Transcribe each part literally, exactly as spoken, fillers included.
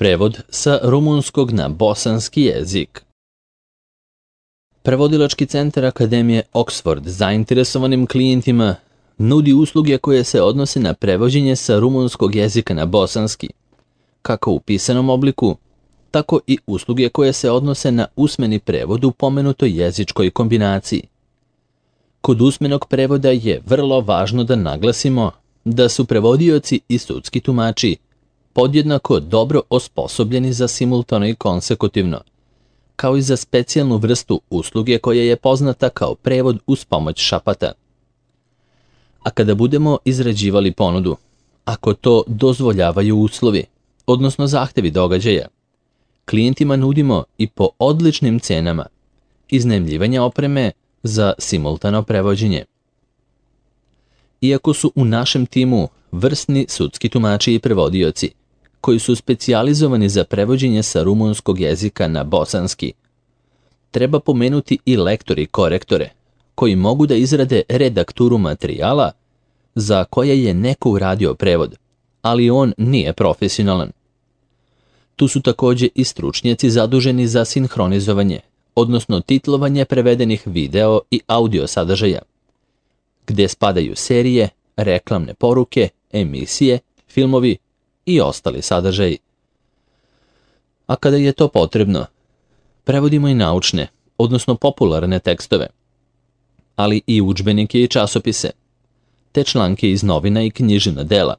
Prevod sa rumunskog na bosanski jezik. Prevodilački centar Akademije Oxford zainteresovanim klijentima nudi usluge koje se odnose na prevođenje sa rumunskog jezika na bosanski, kako u pisanom obliku, tako i usluge koje se odnose na usmeni prevod u pomenutoj jezičkoj kombinaciji. Kod usmenog prevoda je vrlo važno da naglasimo da su prevodioci i sudski tumači podjednako dobro osposobljeni za simultano i konsekutivno, kao i za specijalnu vrstu usluge koja je poznata kao prevod uz pomoć šapata. A kada budemo izrađivali ponudu, ako to dozvoljavaju uslovi, odnosno zahtevi događaja, klijentima nudimo i po odličnim cenama iznajmljivanje opreme za simultano prevođenje. Iako su u našem timu vrsni sudski tumači i prevodioci, koji su specijalizovani za prevođenje sa rumunskog jezika na bosanski, treba pomenuti i lektori i korektore, koji mogu da izrade redakturu materijala za koje je neko uradio prevod, ali on nije profesionalan. Tu su također i stručnjaci zaduženi za sinhronizovanje, odnosno titlovanje prevedenih video i audio sadržaja, gdje spadaju serije, reklamne poruke, emisije, filmovi i ostali sadržaji. A kada je to potrebno, prevodimo i naučne, odnosno popularne tekstove, ali i udžbenike i časopise, te članke iz novina i književna dela,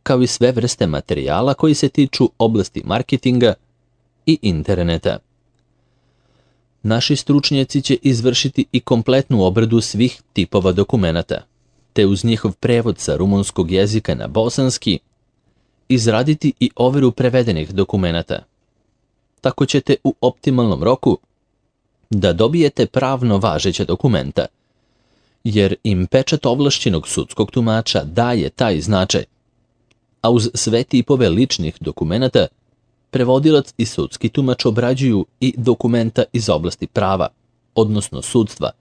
kao i sve vrste materijala koji se tiču oblasti marketinga i interneta. Naši stručnjaci će izvršiti i kompletnu obradu svih tipova dokumenata, te uz njihov prevod sa rumunskog jezika na bosanski izraditi i overu prevedenih dokumenata. Tako ćete u optimalnom roku da dobijete pravno važeća dokumenta, jer im pečat ovlašćenog sudskog tumača daje taj značaj, a uz sve tipove ličnih dokumenata prevodilac i sudski tumač obrađuju i dokumenta iz oblasti prava, odnosno sudstva,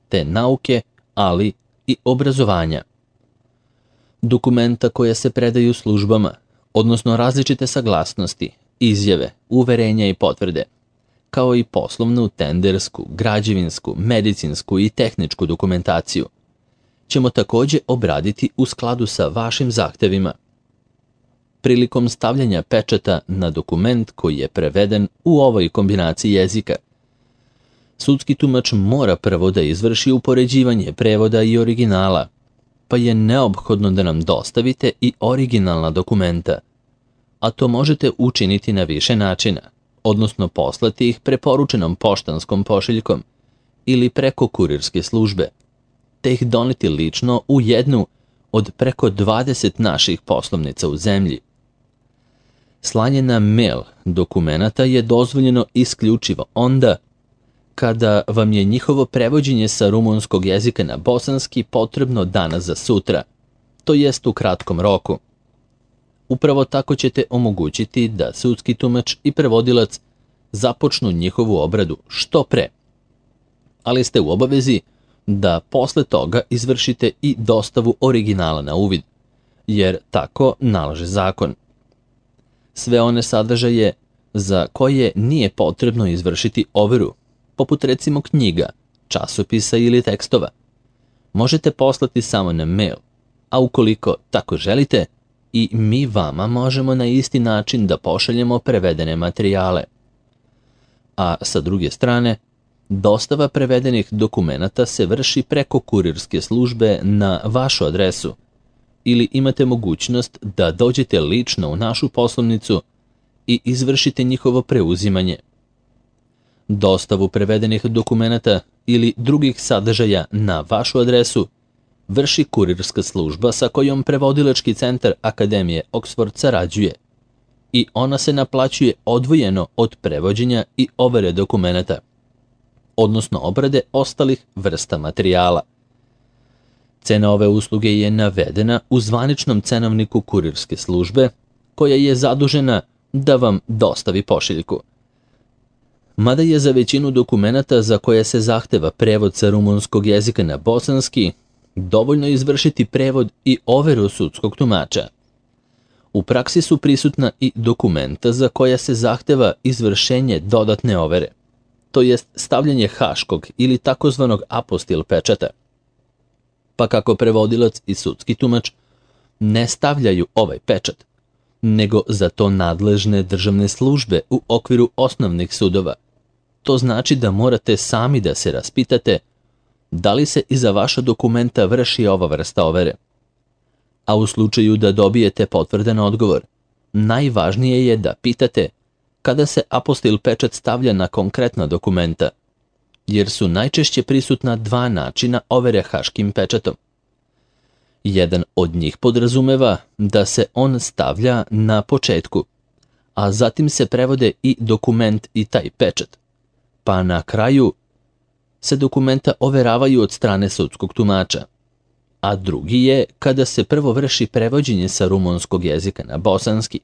te nauke, ali i obrazovanja. Dokumenta koja se predaju službama, odnosno različite saglasnosti, izjave, uverenja i potvrde, kao i poslovnu, tendersku, građevinsku, medicinsku i tehničku dokumentaciju, ćemo također obraditi u skladu sa vašim zahtevima. Prilikom stavljanja pečata na dokument koji je preveden u ovoj kombinaciji jezika, sudski tumač mora prvo da izvrši upoređivanje prevoda i originala, pa je neophodno da nam dostavite i originalna dokumenta, a to možete učiniti na više načina, odnosno poslati ih preporučenom poštanskom pošiljkom ili preko kurirske službe, te ih doneti lično u jednu od preko dvadeset naših poslovnica u zemlji. Slanje na mail dokumenata je dozvoljeno isključivo onda kada vam je njihovo prevođenje sa rumunskog jezika na bosanski potrebno danas za sutra, to jest u kratkom roku. Upravo tako ćete omogućiti da sudski tumač i prevodilac započnu njihovu obradu što pre, ali ste u obavezi da posle toga izvršite i dostavu originala na uvid, jer tako nalaže zakon. Sve one sadržaje za koje nije potrebno izvršiti overu, poput recimo knjiga, časopisa ili tekstova, možete poslati samo na mail, a ukoliko tako želite, i mi vama možemo na isti način da pošaljemo prevedene materijale. A sa druge strane, dostava prevedenih dokumenata se vrši preko kurirske službe na vašu adresu, ili imate mogućnost da dođete lično u našu poslovnicu i izvršite njihovo preuzimanje. Dostavu prevedenih dokumenata ili drugih sadržaja na vašu adresu vrši kurirska služba sa kojom prevodilački centar Akademije Oxford sarađuje i ona se naplaćuje odvojeno od prevođenja i overe dokumenata, odnosno obrade ostalih vrsta materijala. Cena ove usluge je navedena u zvaničnom cenovniku kurirske službe koja je zadužena da vam dostavi pošiljku. Mada je za većinu dokumenata za koje se zahteva prevod sa rumunskog jezika na bosanski dovoljno izvršiti prevod i overu sudskog tumača. U praksi su prisutna i dokumenta za koja se zahteva izvršenje dodatne overe, to jest stavljanje haškog ili takozvanog apostil pečata. Pa kako prevodilac i sudski tumač ne stavljaju ovaj pečat, nego za to nadležne državne službe u okviru osnovnih sudova, to znači da morate sami da se raspitate da li se iza vaša dokumenta vrši ova vrsta overe. A u slučaju da dobijete potvrdan odgovor, najvažnije je da pitate kada se apostil pečat stavlja na konkretna dokumenta, jer su najčešće prisutna dva načina overe haškim pečatom. Jedan od njih podrazumeva da se on stavlja na početku, a zatim se prevode i dokument i taj pečat, pa na kraju se dokumenta overavaju od strane sudskog tumača. A drugi je kada se prvo vrši prevođenje sa rumunskog jezika na bosanski,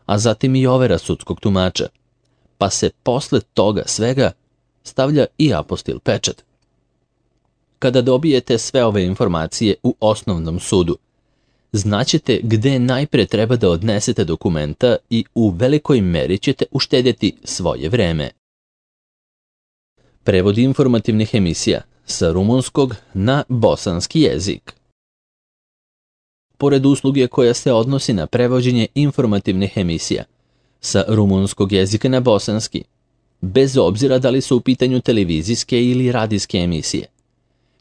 a zatim i overa sudskog tumača, pa se posle toga svega stavlja i apostil pečat. Kada dobijete sve ove informacije u osnovnom sudu, znaćete gde najpre treba da odnesete dokumenta i u velikoj meri ćete uštedjeti svoje vreme. Prevod informativnih emisija sa rumunskog na bosanski jezik. Pored usluge koja se odnosi na prevođenje informativnih emisija sa rumunskog jezika na bosanski, bez obzira da li su u pitanju televizijske ili radijske emisije,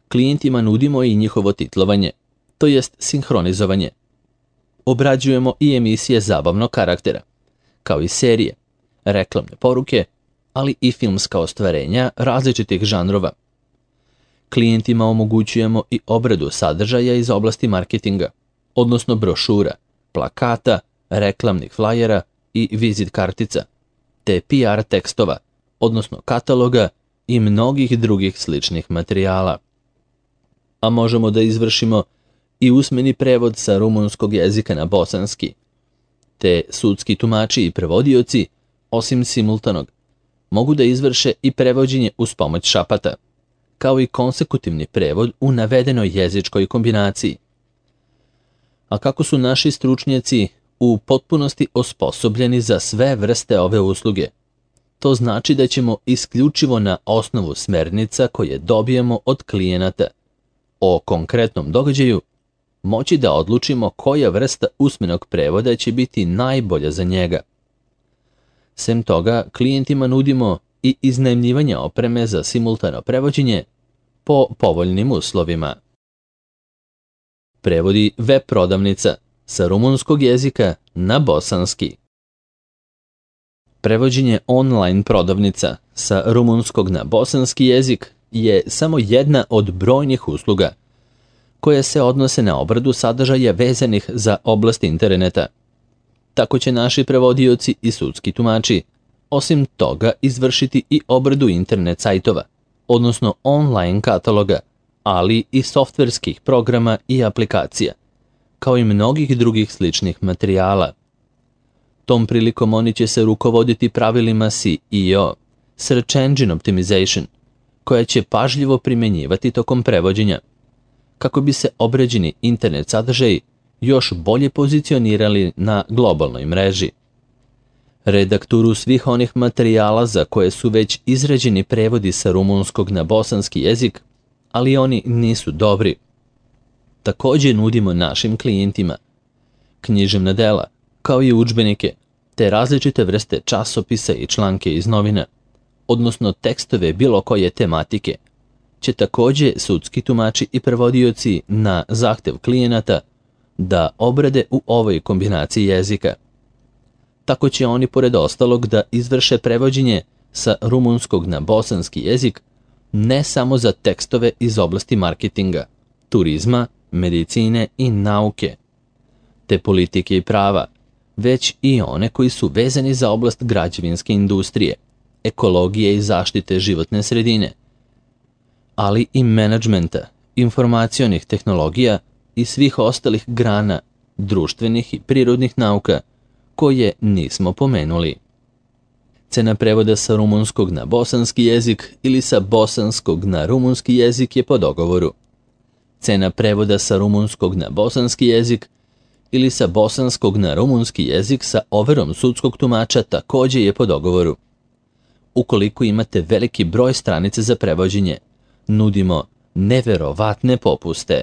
klijentima nudimo i njihovo titlovanje, to jest sinhronizovanje. Obrađujemo i emisije zabavnog karaktera, kao i serije, reklamne poruke, ali i filmska ostvarenja različitih žanrova. Klijentima omogućujemo i obradu sadržaja iz oblasti marketinga, odnosno brošura, plakata, reklamnih flajera i vizit kartica, te P R tekstova, odnosno kataloga i mnogih drugih sličnih materijala. A možemo da izvršimo i usmeni prevod sa rumunskog jezika na bosanski, te sudski tumači i prevodioci, osim simultanog, mogu da izvrše i prevođenje uz pomoć šapata, kao i konsekutivni prevod u navedenoj jezičkoj kombinaciji. A kako su naši stručnjaci u potpunosti osposobljeni za sve vrste ove usluge, to znači da ćemo isključivo na osnovu smernica koje dobijemo od klijenata o konkretnom događaju moći da odlučimo koja vrsta usmenog prevoda će biti najbolja za njega. Sem toga, klijentima nudimo i iznajmljivanje opreme za simultano prevođenje po povoljnim uslovima. Prevodi web prodavnica sa rumunskog jezika na bosanski. Prevođenje online prodavnica sa rumunskog na bosanski jezik je samo jedna od brojnih usluga koje se odnose na obradu sadržaja vezanih za oblast interneta. Tako će naši prevodioci i sudski tumači osim toga izvršiti i obradu internet sajtova, odnosno online kataloga, ali i softverskih programa i aplikacija, kao i mnogih drugih sličnih materijala. Tom prilikom oni će se rukovoditi pravilima S E O, Search Engine Optimization, koja će pažljivo primjenjivati tokom prevođenja, kako bi se obrađeni internet sadržaji još bolje pozicionirali na globalnoj mreži. Redakturu svih onih materijala za koje su već izrađeni prevodi sa rumunskog na bosanski jezik, ali oni nisu dobri. Također nudimo našim klijentima književna dela, kao i udžbenike, te različite vrste časopisa i članke iz novina, odnosno tekstove bilo koje tematike, će također sudski tumači i prevodioci na zahtev klijenata da obrade u ovoj kombinaciji jezika. Tako će oni pored ostalog da izvrše prevođenje sa rumunskog na bosanski jezik ne samo za tekstove iz oblasti marketinga, turizma, medicine i nauke, te politike i prava, već i one koji su vezani za oblast građevinske industrije, ekologije i zaštite životne sredine, ali i menadžmenta, informacionih tehnologija i svih ostalih grana društvenih i prirodnih nauka koje nismo pomenuli. Cena prevoda sa rumunskog na bosanski jezik ili sa bosanskog na rumunski jezik je po dogovoru. Cena prevoda sa rumunskog na bosanski jezik ili sa bosanskog na rumunski jezik sa overom sudskog tumača također je po dogovoru. Ukoliko imate veliki broj stranica za prevođenje, nudimo neverovatne popuste.